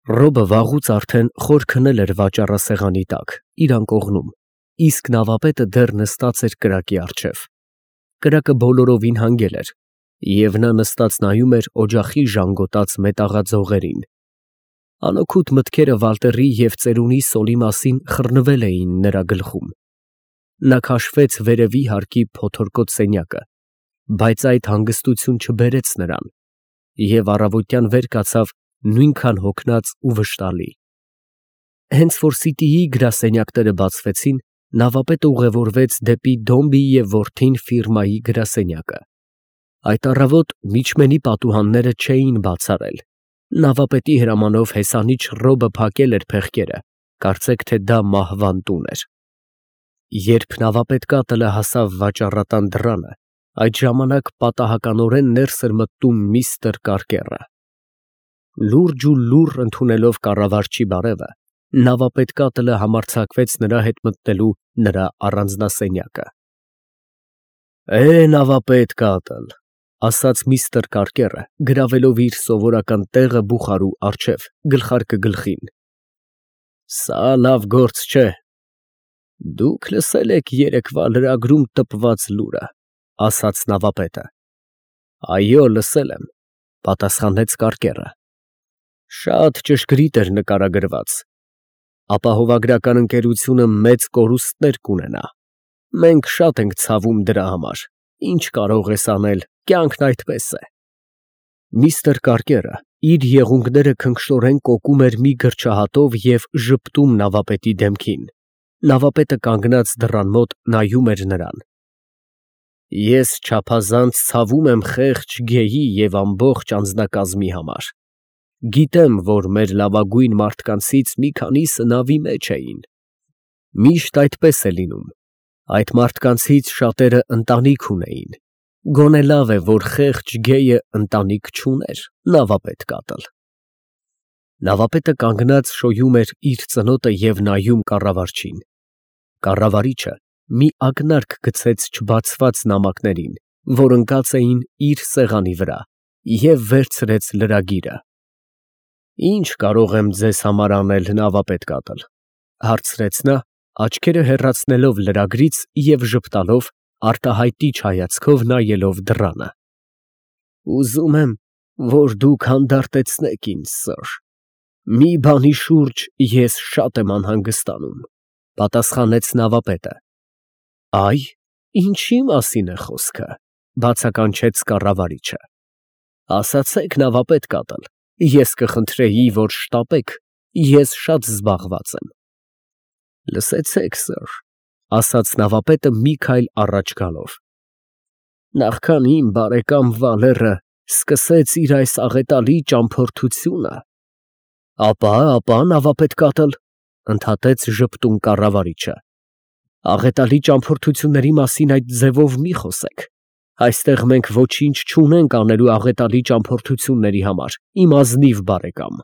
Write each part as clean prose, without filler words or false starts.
Ռոբը վաղուց արդեն խոր քնել էր վաճառասեղանի տակ, իր անկողնում, իսկ նավապետը դեռ նստած էր կրակի առջև։ Կրակը բոլորովին հանգել էր, և նա նստած նայում էր օջախի ժանգոտած մետաղաձողերին։ Անօգուտ մտքերը Վալտերի և ծերունի Սոլի մասին խռնվել էին նրա գլխում։ Նա քաշվեց վերևի հարկի փոթորկոտ սենյակը, բայց այդ հանգստություն չբերեց նրան, և առավոտյան վեր կացավ նույնքան հոգնած ու վշտալի։ Հենց որ Սիտիի գրասենյակները բացվեցին, նավապետը ուղևորվեց դեպի Դոմբիի և որդին ֆիրմայի գրասենյակը։ Այդ առավոտ միջմենի պատուհանները չէին բաց արել։ Նավապետի հրամանով հեսանիչ Ռոբը փակել էր փեղկերը, կարծեք թե դա մահվան տուն էր։ Երբ նավապետ կատլը հասավ վաճառատան դռանը, այդ ժամանակ պատահականորեն ներս էր մտնում միստր Կարկերը։ Լուրջ ու լուռ ընդունելով կառավարչի բարևը, նավապետ կատլը համարձակվեց նրա հետ մտնելու նրա առանձնասենյակը։ Նավապետ կատլ, ասաց միստր Կարկերը, գրավելով իր սովորական տեղը բուխարու առջև, գլխարկը գլխին։ Սա լավ գործ չէ։ Դուք լսել եք երեկվա լրագրում տպված լուրը, ասաց նավապետը։ Այո, լսել եմ, պատասխանեց Կարկերը։ Շատ ճշգրիտ էր նկարագրված։ Ապահովագրական ընկերությունը մեծ կորուստներ կունենա։ Մենք շատ ենք ցավում դրա համար։ Ինչ կարող ես անել, կյանքն այդպես է։ Միստր Կարկերը իր եղունգները քնքշորեն կոկում էր մի գրչահատով և ժպտում նավապետի դեմքին։ Նավապետը կանգնած դռան մոտ նայում էր նրան։ Ես չափազանց ցավում եմ խեղճ Գեյի և ամբողջ անձնակազմի համար։ Գիտեմ, որ մեր լավագույն մարդկանցից մի քանիսը նավի մեջ էին։ Միշտ այդպես է լինում։ Այդ մարդկանցից շատերը ընտանիք ունեին։ Գոնե լավ է, որ խեղճ Գեյը ընտանիք չուներ, նավապետ կատլ։ Նավապետը կանգնած շոյում էր իր ծնոտը և նայում կառավարչին։ Կառավարիչը մի ակնարկ գցեց չբացված նամակներին, որ ընկած էին իր սեղանի վրա, և վերցրեց լրագիրը։ Ինչ կարող եմ ձեզ համար անել, նավապետ կատլ, հարցրեց նա, աչքերը հեռացնելով լրագրից և ժպտալով, արտահայտիչ հայացքով նայելով դռանը։ Ուզում եմ, որ դուք հանդարտեցնեք ինձ, սըր։ Մի բանի շուրջ ես շատ եմ անհանգստանում, պատասխանեց նավապետը։ Այ, ինչի մասին է խոսքը, բացականչեց կառավարիչը։ Ասացեք, նավապետ կատլ, ես կխնդրեի, որ շտապեք, ես շատ զբաղված եմ։ Լսեցեք, սըր, ասաց նավապետը մի քայլ առաջ գալով։ Նախքան իմ բարեկամ Վալերը սկսեց իր այս աղետալի ճամփորդությունը։ Ապա, նավապետ կատլ, ընդհատեց ժպտուն կառավարիչը։ Աղետալի ճամփորդությունների մասին այդ ձևով մի խոսեք։ Այստեղ մենք ոչինչ չունենք անելու աղետալի ճամփորդությունների համար, իմ ազնիվ բարեկամ։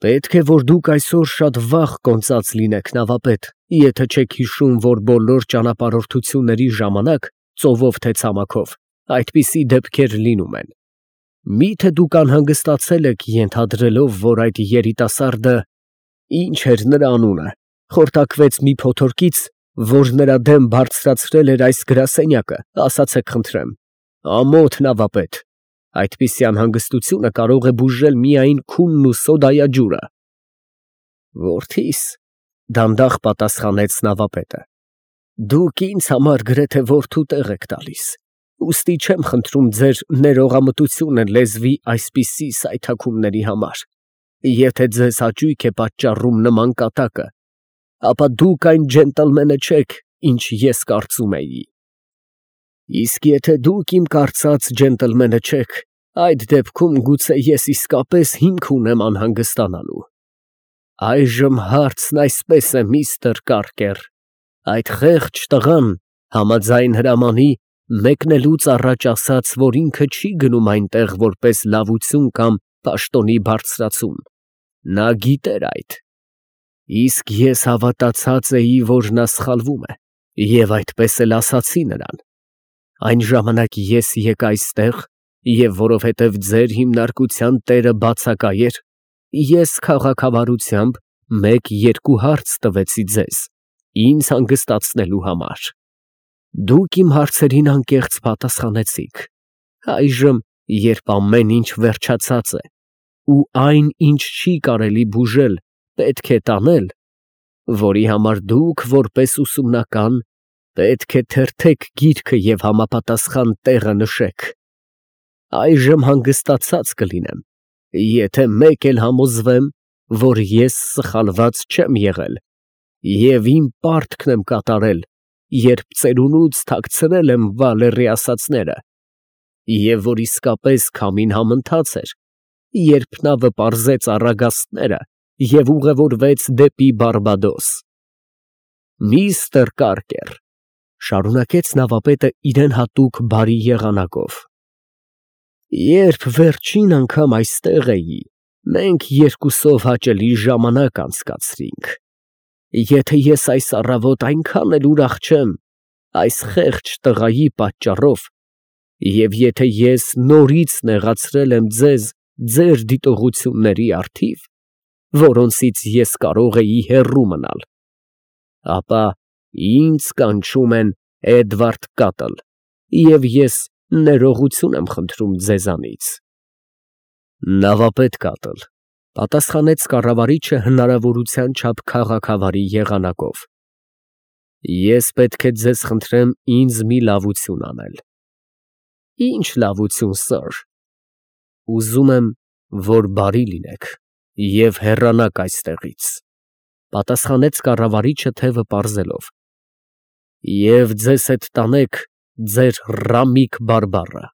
Պետք է, որ դուք այսօր շատ վաղ կոնծած լինեք, նավապետ, եթե չեք հիշում, որ բոլոր ճանապարհորդությունների ժամանակ, ծովով թե ցամաքով, այդպիսի դեպքեր լինում են։ Մի՞թե դուք անհանգստացել եք, ենթադրելով, որ այդ երիտասարդը, ինչ էր նրա անունը, խորտակվեց մի փոթորկից, որ նրա դեմ բարձրացրել էր այս գրասենյակը, ասացեք խնդրեմ։ Ամոթ, նավապետ, այդպիսի անհանգստությունը կարող է բուժել միայն քունն ու սոդայաջուրը։ Որդիս, դանդաղ պատասխանեց նավապետը, դուք ինձ համար գրեթե որդու տեղ եք տալիս, ուստի չեմ խնդրում ձեր ներողամտությունը լեզվի այսպիսի սայթաքումների համար։ Եթե ձեզ հաճույք է պատճառում նման կատակը, ապա դուք այն ջենտլմենը չեք, ինչ ես կարծում էի։ Իսկ եթե դուք իմ կարծած ջենտլմենը չեք, այդ դեպքում գուցե ես իսկապես հիմք ունեմ անհանգստանալու։ Այժմ հարցն այսպես է, միստր Կարկեր, այդ խեղճ տղան համաձայն հրամանի մեկնելուց առաջ ասաց, որ ինքը չի գնում այնտեղ որպես լավություն կամ պաշտոնի բարձրացում։ Նա գիտեր այդ։ Իսկ ես հավատացած էի, որ նա սխալվում է, և այդպես էլ ասացի նրան։ Այն ժամանակ ես եկա այստեղ, և որովհետև ձեր հիմնարկության տերը բացակայ էր, Ես քաղաքավարությամբ 1-2 հարց տվեցի ձեզ, ինձ հանգստացնելու համար։ Դուք իմ հարցերին անկեղծ պատասխանեցիք։ Այժմ, երբ ամեն ինչ վերջացած է, ու այն, ինչ չի կարելի բուժել, պետք է տանել, որի համար դուք, որպես ուսումնական, պետք է թերթեք գիրքը և համապատասխան տեղը նշեք։ Այժմ հանգստացած կլինեմ, եթե մեկ էլ համոզվեմ, որ ես սխալված չեմ եղել և իմ պարտքն եմ կատարել, երբ ծերունուց թաքցրել եմ Վալերի ասածները, և որ իսկապես քամին համընթաց էր, երբ նա վպարզեց առագաստները և ուղևորվեց դեպի Բարբադոս։ Միստր Կարկեր, ֊ շարունակեց նավապետը իրան հատուկ բարի եղանակով, երբ վերջին անգամ այստեղ էի, մենք երկուսով հաճելի ժամանակ անցկացրինք։ Եթե ես այս առավոտ այնքան էլ ուրախ չեմ այս խեղճ տղայի պատճառով, և եթե ես նորից նեղացրել եմ ձեզ ձեր դիտողությունների առթիվ, որոնցից ես կարող էի հեռու մնալ, ապա ինձ կանչում են Էդվարդ Կատլ, և ես ներողություն եմ խնդրում ձեզանից։ Նավապետ Կատլ, ֊ պատասխանեց կառավարիչը հնարավորության չափ քաղաքավարի եղանակով, ես պետք է ձեզ խնդրեմ ինձ մի լավություն անել։ Ինչ լավություն, սըր։ Ուզում եմ, որ բարի լինեք և հեռանաք այստեղից, ֊ պատասխանեց կառավարիչը թևը պարզելով, և ձեզ հետ տանեք ձեր Ռամիկ բարբառը։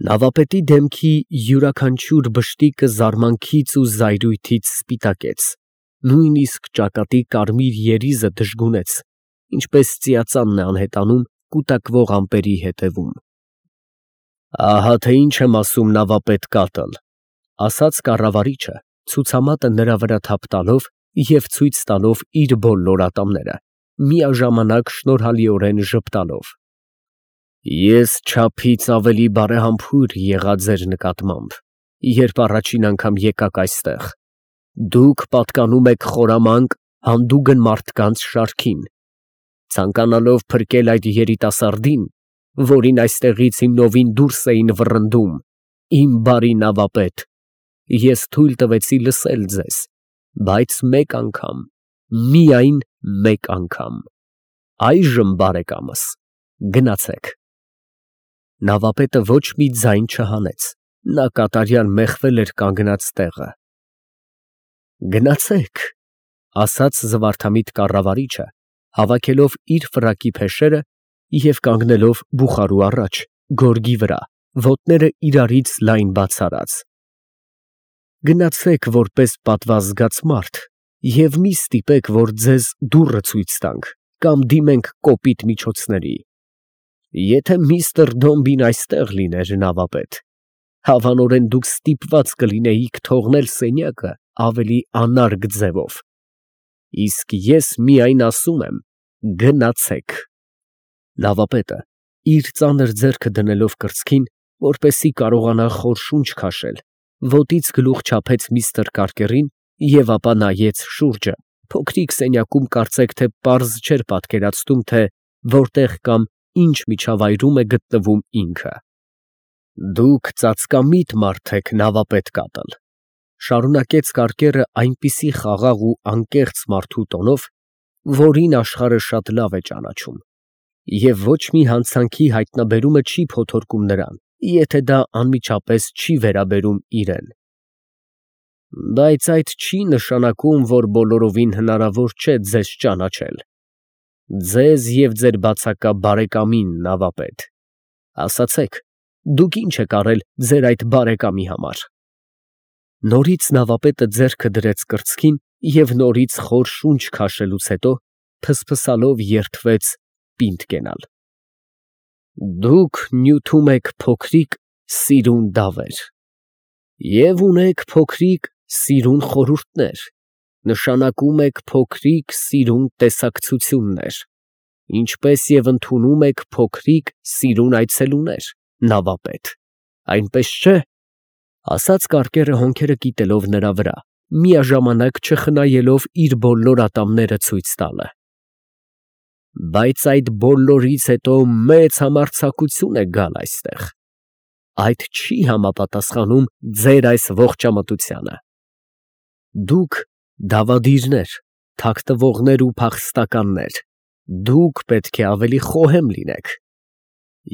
Նավապետի դեմքի յուրաքանչյուր բշտիկը զարմանքից ու զայրույթից սպիտակեց, նույնիսկ ճակատի կարմիր երիզը դժգունեց, ինչպես ծիածանն է անհետանում կուտակվող ամպերի հետևում։ Ահա թե ինչ եմ ասում, նավապետ Կատլ, ֊ ասաց կառավարիչը, ցուցամատը նրա վրա թափ տալով և ցույց տալով իր բոլոր ատամները, միաժամանակ շնորհալիորեն ժպտալով։ Ես չափից ավելի բարեհամբույր եղա ձեր նկատմամբ, երբ առաջին անգամ եկաք այստեղ։ Դուք պատկանում եք խորամանկ, հանդուգն մարդկանց շարքին, ցանկանալով փրկել այդ երիտասարդին, որին այստեղից հիմնովին դուրս էին վռնդում, իմ բարի նավապետ, ես թույլ տվեցի լսել ձեզ, բայց մեկ անգամ, միայն մեկ անգամ։ Այժմ, բարեկամս, գնացեք։ Նավապետը ոչ մի ձայն չհանեց, նա կատարյալ մեղվել էր կանգնած տեղը։ Գնացեք, ֊ ասաց զվարթամիտ կառավարիչը, հավաքելով իր ֆրակի փեշերը և կանգնելով բուխարու առաջ, գորգի վրա, ոտները իրարից լայն բաց արած։ Գնացեք որպես պատվազգաց մարդ և մի ստիպեք, որ ձեզ դուռը ցույց տանք կամ դիմենք կոպիտ միջոցների։ Եթե միստր Դոմբին այստեղ լիներ, նավապետ, հավանորեն դուք ստիպված կլինեիք թողնել սենյակը ավելի անարգ ձևով, իսկ ես միայն ասում եմ. գնացեք։ Նավապետը, իր ծանր ձեռքը դնելով կրծքին, որպեսզի կարողանա խոր շունչ քաշել, ոտից գլուխ չափեց միստր Կարկերին և ապա նայեց շուրջը, փոքրիկ սենյակում կարծեք թե պարզ չէր պատկերացնում, թե որտեղ կամ ինչ միջավայրում է գտնվում ինքը։ Դուք ծածկամիտ մարդ եք, նավապետ Կատլ, ֊ շարունակեց Կարկերը այնպիսի խաղաղ ու անկեղծ մարդու տոնով, որին աշխարհը շատ լավ է ճանաչում, և ոչ մի հանցանքի հայտնաբերումը չի փոթորկում նրան, եթե դա անմիջապես չի վերաբերում իրան։ Բայց այդ չի նշանակում, որ բոլորովին հնարավոր չէ ձեզ ճանաչել, ձեզ և ձեր բացակա բարեկամին, նավապետ, ասացեք, դուք ինչ եք արել ձեր այդ բարեկամի համար։ Նորից նավապետը ձեռքը դրեց կրծքին և նորից խոր շունչ քաշելուց հետո փսփսալով երդվեց պինդ կենալ։ Դուք նյութում եք փոքրիկ սիրուն դավեր և ունեք փոքրիկ սիրուն խորհուրդներ, նշանակում եք փոքրիկ սիրուն տեսակցություններ, ինչպես և ընդունում եք փոքրիկ սիրուն այցելուներ, նավապետ, այնպես չէ։ Ասաց կարկերը հոնքերը կիտելով նրա վրա, միաժամանակ չխնայելով իր բոլոր ատամները ցույց տալը։ Բայց այդ բոլորից հետո մեծ համարձակություն է գալ այստեղ։ Այդ չի համապատասխանում ձեր այս ողջամտությանը։ Դուք դավադիրներ, թաքտվողներ ու փախստականներ, դուք պետք է ավելի խոհեմ լինեք։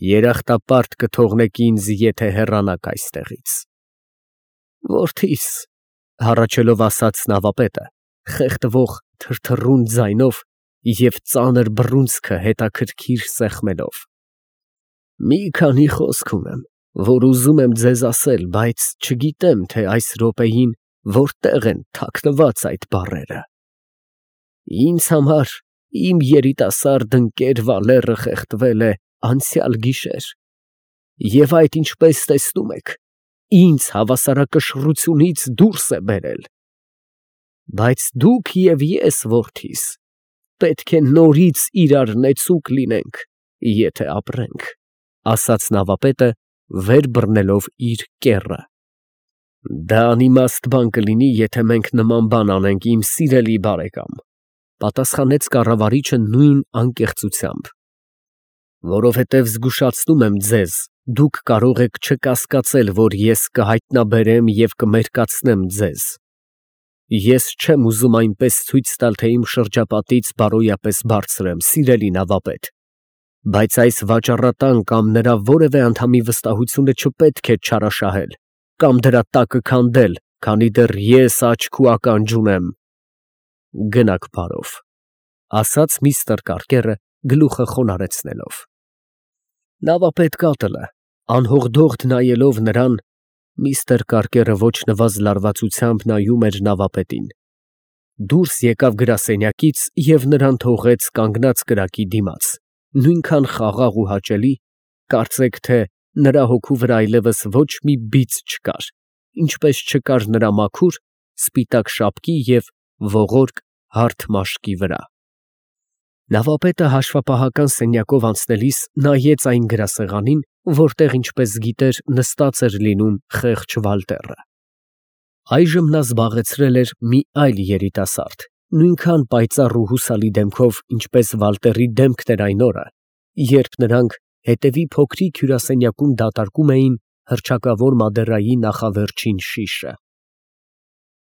Երախտապարտ կթողնեք ինձ, եթե հեռանաք այստեղից։ Որդիս, հառաչելով ասաց նավապետը, խեղդվող թրթռուն ձայնով և ծանր բռունցքը հետաքրքիր սեղմելով։ Մի քանի խոսք ունեմ, որ ուզում եմ ձեզ ասել, բայց չգիտեմ, թե այս րոպեին որտեղ են թաքնված այդ բառերը։ Ինձ համար իմ երիտասարդ ընկեր Վալերը խեղդվել է անցյալ գիշեր, և այդ, ինչպես տեսնում եք, ինձ հավասարակշռությունից դուրս է բերել։ Բայց դուք և ես, որդիս, պետք է նորից իրար նեցուկ լինենք, եթե ապրենք, ասաց նավապետը, վեր բռնելով իր կեռը։ Դա անիմաստ բան կլինի, եթե մենք նման բան անենք, իմ սիրելի բարեկամ, պատասխանեց կառավարիչը նույն անկեղծությամբ։ Որովհետև զգուշացնում եմ ձեզ, դուք կարող եք չկասկածել, որ ես կհայտնաբերեմ և կմերկացնեմ ձեզ։ Ես չեմ ուզում այնպես ցույց տալ, թե իմ շրջապատից բարոյապես բարձր եմ, սիրելի նավապետ, բայց այս վաճառատան կամ նրա որևէ անդամի վստահությունը չպետք է չարաշահել կամ դրա տակը քանդել, քանի դեռ ես աչք ու ականջ ունեմ։ Գնաք բարով, ասաց միստր Կարկերը գլուխը խոնարհեցնելով։ Նավապետ կատլը, անհողդողդ նայելով նրան, միստր Կարկերը ոչ նվազ լարվածությամբ նայում էր նավապետին, դուրս եկավ գրասենյակից և նրան թողեց կանգնած կրակի դիմաց, նույնքան խաղաղ ու հաճելի, կարծեք թե նրա հոգու վրա այլևս ոչ մի բիծ չկար, ինչպես չկար նրա մաքուր, սպիտակ շապկի և ողորկ հարթ մաշկի վրա։ Նավապետը հաշվապահական սենյակով անցնելիս նայեց այն գրասեղանին, որտեղ, ինչպես գիտեր, նստած էր լինում խեղճ Վալտերը։ Այժմ նա զբաղեցրել էր մի այլ երիտասարդ, նույնքան պայծառ ու հուսալի դեմքով, ինչպես Վալտերի դեմքն էր այն օրը, երբ նրանք հետևի փոքրիկ հյուրասենյակում դատարկում էին հռչակավոր Մադերայի նախավերջին շիշը։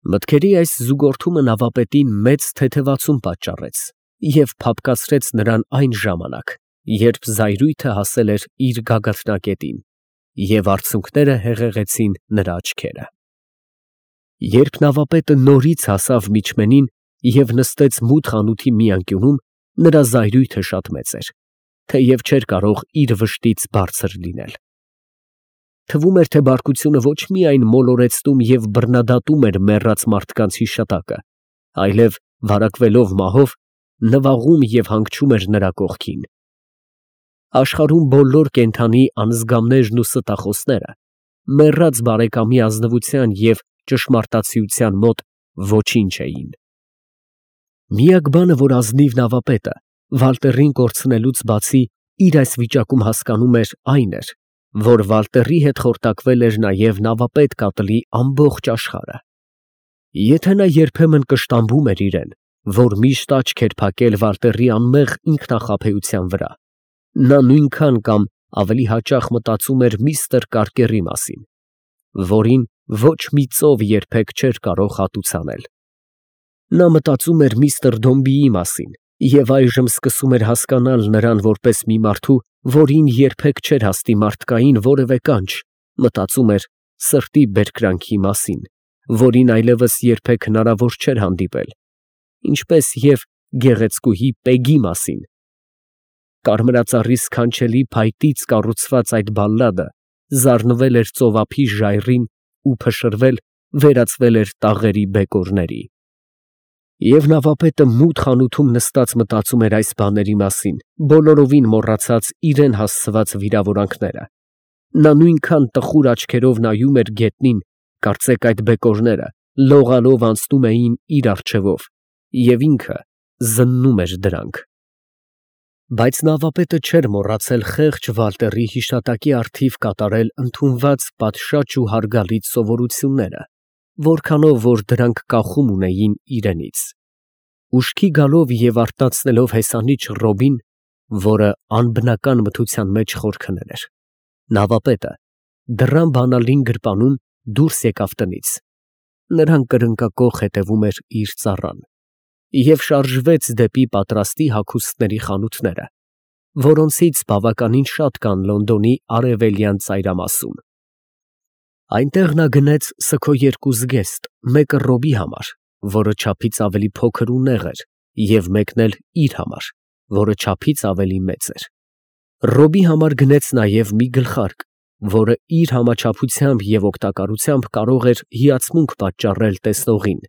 Մտքերի այս զուգորդումը նավապետին մեծ թեթևացում պատճառեց և փափկացրեց նրան այն ժամանակ, երբ զայրույթը հասել էր իր գագաթնակետին, և արցունքները հեղեղեցին նրա աչքերը։ Երբ նավապետը նորից հասավ միջմենին և նստեց մութ խանութի մի անկյունում, նրա զայրույթը շատ մեծ էր, թեև չէր կարող իր վշտից բարձր լինել։ Թվում էր, թե բարկությունը ոչ միայն մոլորեցնում և բռնադատում էր մեռած մարդկանց հիշատակը, այլև, վարակվելով մահով, նվաղում և հանգչում էր նրա կողքին։ Աշխարհում բոլոր կենդանի անզգամներն ու ստախոսները մեռած բարեկամի ազնվության և ճշմարտացիության մոտ ոչինչ էին։ Միակ բանը, որ ազնիվ նավապետը Վալտերին կորցնելուց բացի իր այս վիճակում հասկանում էր, այն էր, որ Վալտերի հետ խորտակվել էր նաև նավապետ կատլի ամբողջ աշխարհը։ Եթե նա երբեմն կշտամբում էր իրեն, որ միշտ աչք էր փակել Վալտերի անմեղ ինքնախաբեության վրա, նա նույնքան կամ ավելի հաճախ մտածում էր միստր Կարկերի մասին, որին ոչ մի ծով երբեք չէր կարող հատուցանել։ Նա մտածում էր միստր Դոմբիի մասին և այժմ սկսում էր հասկանալ նրան որպես մի մարդու, որին երբեք չէր հասնի մարդկային որևէ կանչ, մտածում էր սրտի բերկրանքի մասին, որին այլևս երբեք հնարավոր չէր հանդիպել, ինչպես և գեղեցկուհի Պեգի մասին։ Կարմրածառի սքանչելի փայտից կառուցված այդ բալլադը զառնվել էր ծովափի ժայռին ու փշրվել, վերածվել էր տաղերի բեկորների։ Եվ նավապետը մութ խանութում նստած մտածում էր այս բաների մասին, բոլորովին մոռացած իրան հասցված վիրավորանքները։ Նա նույնքան տխուր աչքերով նայում էր գետնին, կարծեք այդ բեկորները լողալով անցնում էին իր առջևով, և ինքը զննում էր դրանք։ Բայց նավապետը չէր մոռացել խեղճ Վալտերի հիշատակի առթիվ կատարել ընդունված պատշաճ ու հարգալից սովորությունները, որքանով որ դրանք կախում ունեին իրենից։ Ուշքի գալով և արթնացնելով հեսանիչ Ռոբին, որը անբնական մթության մեջ խորքնել էր, նավապետը դռան բանալին գրպանում դուրս եկավ տնից (նրան կրնկակոխ հետևում էր իր ծառան) և շարժվեց դեպի պատրաստի հագուստների խանութները, որոնցից բավականին շատ կան Լոնդոնի արևելյան ծայրամասում։ Այնտեղ նա գնեց սգո երկու զգեստ, մեկը Ռոբի համար, որը չափից ավելի փոքր ու նեղ էր, և մեկն էլ իր համար, որը չափից ավելի մեծ էր։ Ռոբի համար գնեց նաև մի գլխարկ, որը իր համաչափությամբ և օգտակարությամբ կարող էր հիացմունք պատճառել տեսնողին,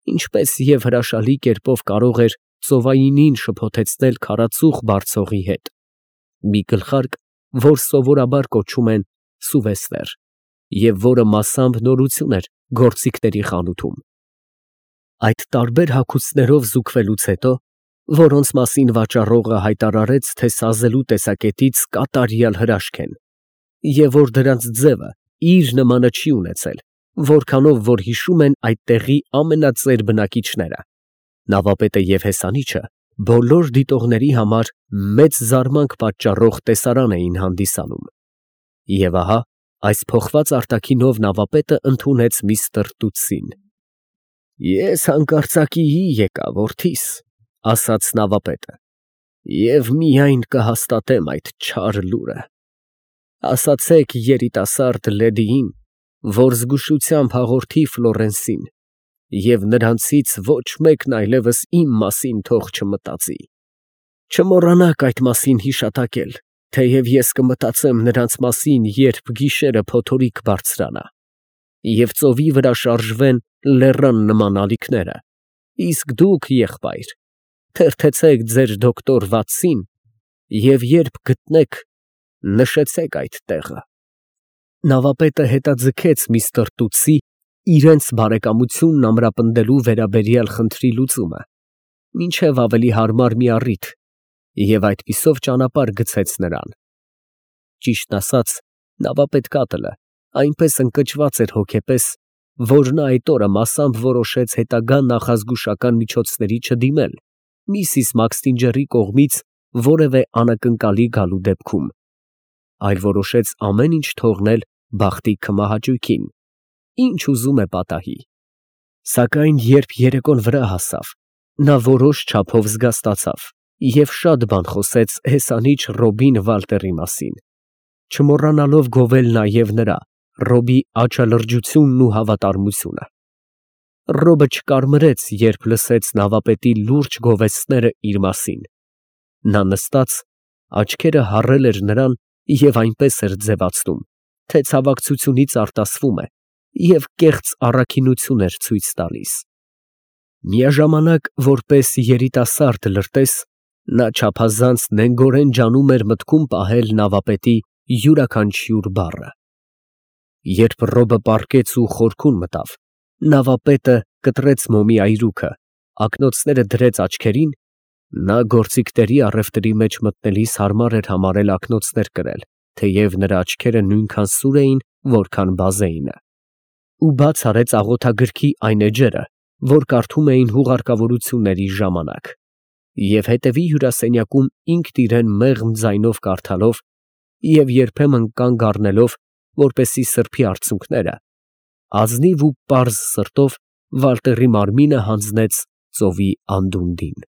ինչպես և հրաշալի կերպով կարող էր ծովայինին շփոթեցնել քարածուխ բարձողի հետ, մի գլխարկ, որ սովորաբար կոչում են սուվեսներ, և որը մասամբ նորություն էր գործիքների խանութում։ Այդ տարբեր հագուստներով զուգվելուց հետո, որոնց մասին վաճառողը հայտարարեց, թե սազելու տեսակետից կատարյալ հրաշք են, և որ դրանց ձևը իր նմանը չի ունեցել, որքանով որ հիշում են այդ տեղի ամենածեր բնակիչները, նավապետը և հեսանիչը բոլոր դիտողների համար մեծ զարմանք պատճառող տեսարան էին հանդիսանում։ Եվ ահա այս փոխված արտաքինով նավապետը ընդունեց միստր Տուտսին։ «Ես հանկարծակիի եկա, որդիս, ֊ ասաց նավապետը, ֊ և միայն կհաստատեմ այդ չար լուրը. ասացեք երիտասարդ լեդիին, որ զգուշությամբ հաղորդի Ֆլորենսին, և նրանցից ոչ մեկն այլևս իմ մասին թող չմտածի։ Չմոռանաք այդ մասին հիշատակել, թեև ես կմտածեմ նրանց մասին, երբ գիշերը փոթորիկ բարձրանա, և ծովի վրա շարժվեն լեռան նման ալիքները, իսկ դուք, եղբայր, թերթեցեք ձեր դոկտոր Վատսին և երբ գտնեք, նշեցեք այդ տեղը»։ Նավապետը հետաձգեց միստր Տուտսի իրենց բարեկամությունն ամրապնդելու վերաբերյալ խնդրի լուծումը, մինչև ավելի հարմար մի առիթ, և այդպիսով ճանապարհ գցեց նրան։ Ճիշտն ասած, նավապետ Կատլը այնպես ընկճված էր հոգեպես, որ նա այդ օրը մասամբ որոշեց հետագա նախազգուշական միջոցների չդիմել միսիս Մաքսթինջերի կողմից որևէ անակնկալի գալու դեպքում, այլ որոշեց ամեն ինչ թողնել բախտի քմահաճույքին, ինչ ուզում է պատահի։ Սակայն երբ երեկոն վրա հասավ, նա որոշ չափով զգաստացավ և շատ բան խոսեց հեսանիչ Ռոբին Վալտերի մասին, չմոռանալով գովել նաև նրա՝ Ռոբի աչալրջությունն ու հավատարմությունը։ Ռոբը չկարմրեց, երբ լսեց նավապետի լուրջ գովեստները իր մասին։ Նա նստած, աչքերը հառել էր նրան և այնպես էր ձևացնում, թե ցավակցությունից արտասվում է և կեղծ առաքինություն էր ցույց տալիս։ Միաժամանակ, որպես երիտասարդ լրտես, նա չափազանց նենգորեն ջանում էր մտքում պահել նավապետի յուրաքանչյուր բառը։ Երբ Ռոբը պառկեց ու խորքուն մտավ, նավապետը կտրեց մոմի այրուքը, ակնոցները դրեց աչքերին, նա գործիքների առևտրի մեջ մտնելիս հարմար էր համարել ակնոցներ կրել, թեև նրա աչքերը նույնքան սուր էին, որքան բազեինը, ու բաց արեց աղոթագրքի այն էջերը, որ կարդում էին հուղարկավորությունների ժամանակ, և հետևի հյուրասենյակում ինքն իրեն մեղմ ձայնով կարդալով և երբեմն կանգ առնելով, որպեսզի սրբի արցունքները, ազնիվ ու պարզ սրտով Վալտերի մարմինը հանձնեց ծովի անդունդին։